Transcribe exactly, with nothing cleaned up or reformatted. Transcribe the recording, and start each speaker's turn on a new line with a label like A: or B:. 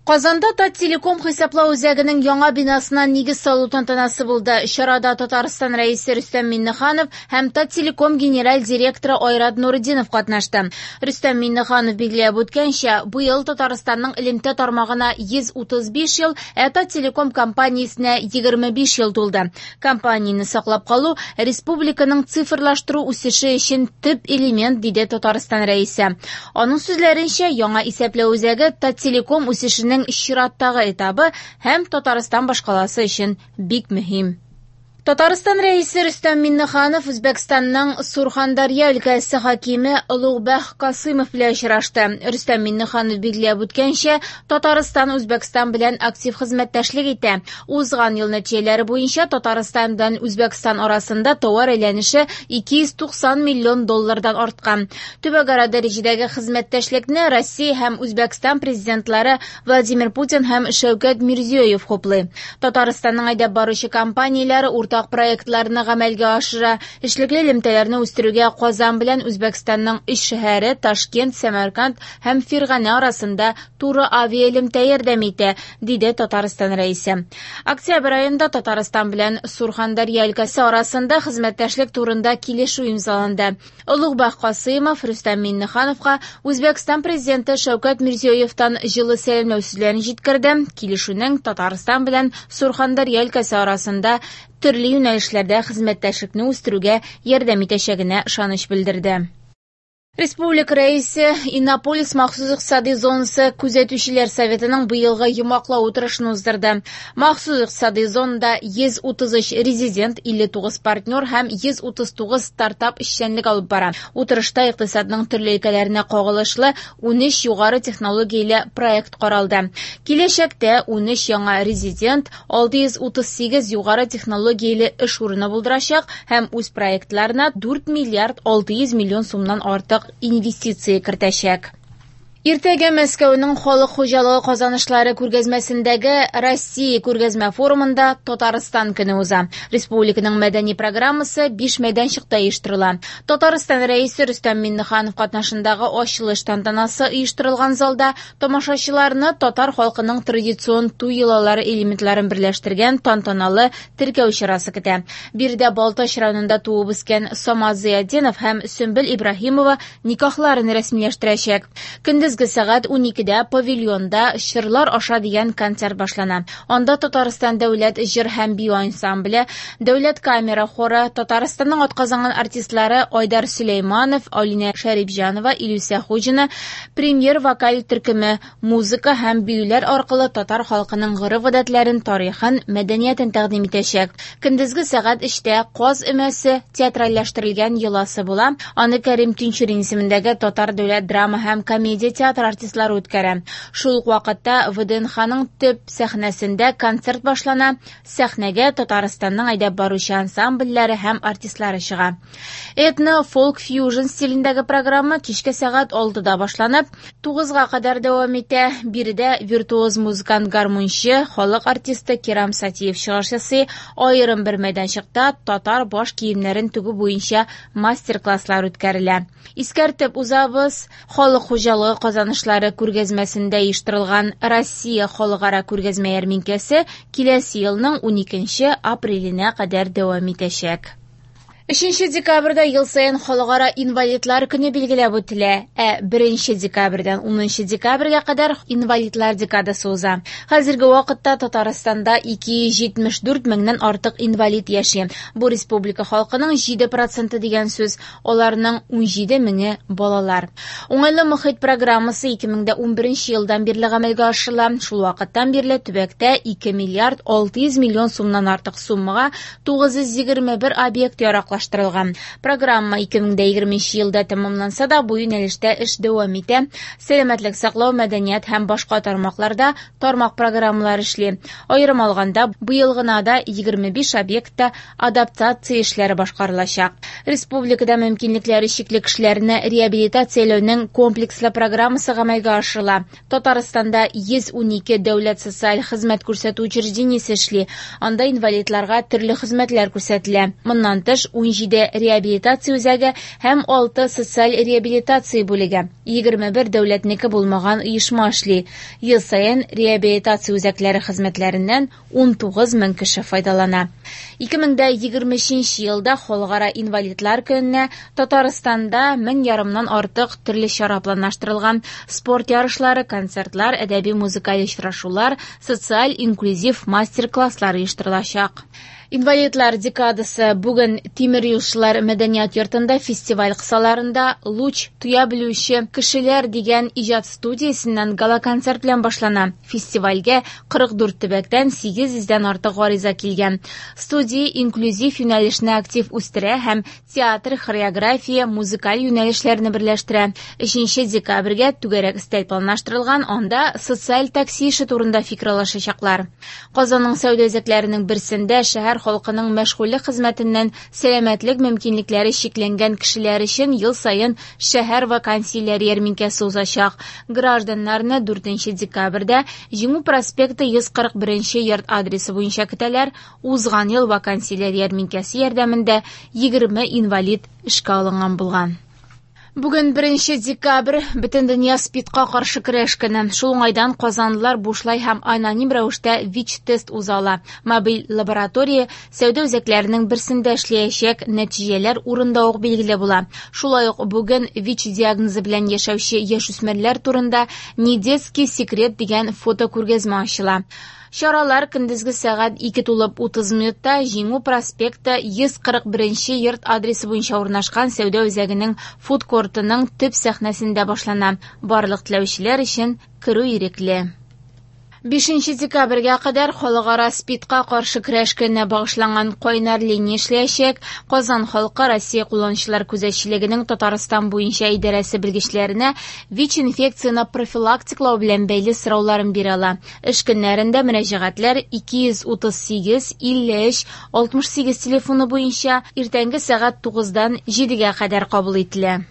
A: Казанда Таттелеком хисаплау үзәгенең яңа бинасына нигез салу тантанасы булды. Чарада Татарстан Рәисе Рөстәм Миңнеханов һәм Таттелеком генераль директоры Айрат Нуретдинов катнашты. Рөстәм Миңнеханов билгеләп үткәнчә, быел Татарстанның элемтә тармагына йөз утыз биш ел, ә Таттелеком компаниясенә егерме биш ел тулды. Компанияне саклап калу республиканың цифрлаштыру үсеше өчен төп элемент, диде Татарстан Рәисе. Аның сүзләренчә, яңа исәпләү үзәге Таттелеком үсешенең чираттагы этабы һәм Татарстан башкаласы өчен бик мөһим. Татарстан Рәисе Рөстәм Миңнеханов Үзбәкстанның Сурхандарья өлкәсе хакиме Олугбәк Касымов белән очрашты. Рөстәм Миңнеханов билгеләп үткәнчә, Татарстан Үзбәкстан белән актив хезмәттәшлек итә. Узган ел нәтиҗәләре буенча Татарстан белән Үзбәкстан арасында товар әйләнеше ике йөз туксан миллион доллардан арткан. Төбәкара дәрәҗәдәге хезмәттәшлекне Россия һәм Үзбәкстан президентлары Владимир Путин һәм Шәүкәт Мирзиёев хуплый. Татарстанның әйдәп баручы компанияләре уртак проектларны гамәлгә ашыра. Эшлекле элемтәләрне үстерүгә Казан белән Үзбәкстанның өч шәһәре Ташкент, Сәмәрканд һәм Фирганә арасында туры авиаэлемтә ярдәм итә, диде Татарстан Рәисе. Октябрь аенда Татарстан белән Сурхандарья өлкәсе арасында хезмәттәшлек турында килешү имзаланды. Олугбәк Касыймов Рөстәм Миңнехановка Үзбәкстан президенты Шәүкәт Мирзиёевтан җылы сәламләү сүзләрен җиткерде. Килешүнең Татарстан белән Сурхандарья өлкәсе арасында төрле юнәлешләрдә хезмәттәшлекне үстерүгә ярдәм итәчәгенә ышаныч белдерде. Республика Рәисе Иннополис махсус икътисади зонасы күзәтүчеләр советының быелгы йомгаклау утырышын уздырды. Махсус икътисади зонада йөз утыз өч резидент, илле тугыз партнер һәм йөз утыз тугыз стартап эшчәнлек алып бара. Утырышта икътисадның төрле өлкәләренә кагылышлы унөч югары технологияле проект каралды. Киләчәктә унөч яңа резидент алты йөз утыз сигез югары технологияле эш урыны булдырачак һәм үз проектларына дүрт миллиард алты йөз миллион сумнан артык инвестиция кертәчәк. Иртәгә Мәскәүнең халык хуҗалыгы казанышлары күргәзмәсендәге Россия күргәзмә форумында Татарстан көне уза. Республиканың мәдәни программасы биш мәйданчыкта оештырыла. Татарстан Рәисе Рөстәм Миңнеханов катнашындагы ачылыш тантанасы оештырылган залда тамашачыларны татар халкының традицион туй йолалары элементларын берләштергән тантаналы теркәү чарасы көтә. Биредә Балтач районында туып үскән Самат Зыятдинов һәм Сөмбел Ибраһимова никахларын рәсмиләштерәчәк. Көндез сәгать уникедә павильонда Чырлар аша дигән концерт башлана. Анда Татарстан дәүләт җыр һәм бию ансамбле, дәүләт камера хоры, Татарстанның атказанган артистлары Айдар Сөләйманов, Алинә Шәрипҗанова, Илүсә Хуҗина, премьер вокаль төркеме музыка һәм биюләр аркылы татар халкының гореф-гадәтләрен, тарихын, мәдәниятен тәкъдим итәчәк. Көндезге сәгать өчтә Каз өмәсе театральләштерелгән йоласы була. Аны Кәрим Тинчурин исемендәге Татар дәүләт драма һәм комедия театры артистлары үткәрә. Шул ук вакытта ВДНХның төп сәхнәсендә концерт башлана. Сәхнәгә Татарстанның әйдәп баручы ансамбльләре һәм артистлары чыга. Этно фолк фьюжн стилендәге программа кичке сәгать алтыда башланып, тугызга кадәр дәвам итә. Биредә виртуоз музыкант, гармунчы, халык артисты Кирам Сатиев чыгыш ясый. Аерым бер мәйданчыкта татар баш киемнәрен тегү буенча мастер-класслар үткәрелә. Искәртеп узабыз, халык хуҗалыгы казанышлары күргәзмәсендә оештырылган Россия халыкара күргәзмә ярминкәсе киләсе елның уникенче апреленә кадәр дәвам итәчәк. Өченче декабрьдә ел саен халыкара инвалидлар көне билгеләп үтелә, ә беренче декабрьдән унынчы декабрьгә кадәр инвалидлар декадасы уза. Хәзерге вакытта Татарстанда ике йөз җитмеш дүрт меңнән артык инвалид яши. Бу республика халкының җиде проценты дигән сүз, аларның унҗиде меңе балалар. Уңайлы мохит программасы ике мең дә унберенче елдан бирле гамәлгә ашырыла. Шул вакыттан бирле төбәктә ике миллиард алты йөз миллион сумнан артык суммага тугыз йөз егерме бер объект яраклаштырылган. Программа ике мең дә егерменче елда тәмамланса да, бу юнәлештә эш дәвам итә. Сәламәтлек саклау, мәдәният һәм башка тармакларда тармак программалар эшли. Аерым алганда, быел гына да егерме биш объектта адаптация эшләре башкарылачак. Республикада мөмкинлекләре чикле кешеләрне реабилитацияләүнең комплекслы программасы гамәлгә ашырыла. Татарстанда йөз унике дәүләт социаль хезмәт күрсәтү учреждениесе эшли. Анда инвалидларга төрле хезмәтләр күрсәтелә. Моннан тыш, Унҗиде реабилитация үзәге һәм алты социаль реабилитация бүлеге, егерме бер дәүләтнеке булмаган оешма эшли. Ел саен реабилитация үзәкләре хезмәтләреннән унтугыз мең кеше файдалана. Ике мең дә егерме өченче елда Халыкара инвалидлар көненә Татарстанда мең ярымнан артык төрле чара планлаштырылган. Спорт ярышлары, концертлар, әдәби-музыкаль очрашулар, социаль инклюзив мастер-класслар оештырылачак. Инвалидлар декадасы бүген Тимер юлчылар мәдәният йортында фестиваль кысаларында Луч туя белүче кешеләр дигән иҗат студиясеннән гала-концерт белән башлана. Фестивальгә кырык дүрт төбәктән сигез йөздән артык гариза килгән. Студия инклюзив юнәлешне актив үстерә һәм театр, хореография, музыкаль юнәлешләрне берләштерә. Өченче декабрьгә түгәрәк өстәл планлаштырылган, анда социаль такси эше турында фикер алышачаклар. Казанның сәүдә үзәкләренең берсендә шәһәр халкының мәшгульлек хезмәтеннән сәламәтлек мөмкинлекләре чикләнгән кешеләр өчен ел саен шәһәр вакансияләре ярминкәсе узачак. Гражданнарны дүртенче декабрьдә Җиңү проспекты йөз кырык беренче йорт адресы буенча көтәләр. Узган ел вакансияләр ярминкәсе ярдәмендә егерме инвалид эшкә алынган булган. Бүген беренче декабрь бөтен дөнья СПИДка каршы көрәш көне. Шул уңайдан казанлылар бушлай һәм аноним рәвештә ВИЧ-тест уза ала. Мобиль лаборатория сәүдә үзәкләренең берсендә эшләячәк, нәтиҗәләр урында ук билгеле була. Шулай ук бүген ВИЧ диагнозы белән яшәүче яшүсмерләр турында «Не детский секрет» дигән фото күргәзмә ачыла. Чаралар көндезге сәгать ике тулып утыз минутта Җиңү проспекты йөз кырык беренче йорт адресы буенча урнашкан сәүдә үзәгенең фудкортының төп сәхнәсендә башлана. Барлык теләүчеләр өчен керү ирекле. Бишенче декабрьгә кадәр Халыкара СПИДка каршы көрәш көненә багышланган кайнар линия эшләячәк. Казан халкы Россия кулланучылар күзәтчелегенең Татарстан буенча идарәсе белгечләренә ВИЧ-инфекцияне профилактиклау белән бәйле сорауларын бирә ала. Эш көннәрендә мөрәҗәгатьләр ике йөз утыз сигез, илле өч, алтмыш сигез телефоны буенча иртәнге сәгать тугыздан җидегә кадәр кабул ителә.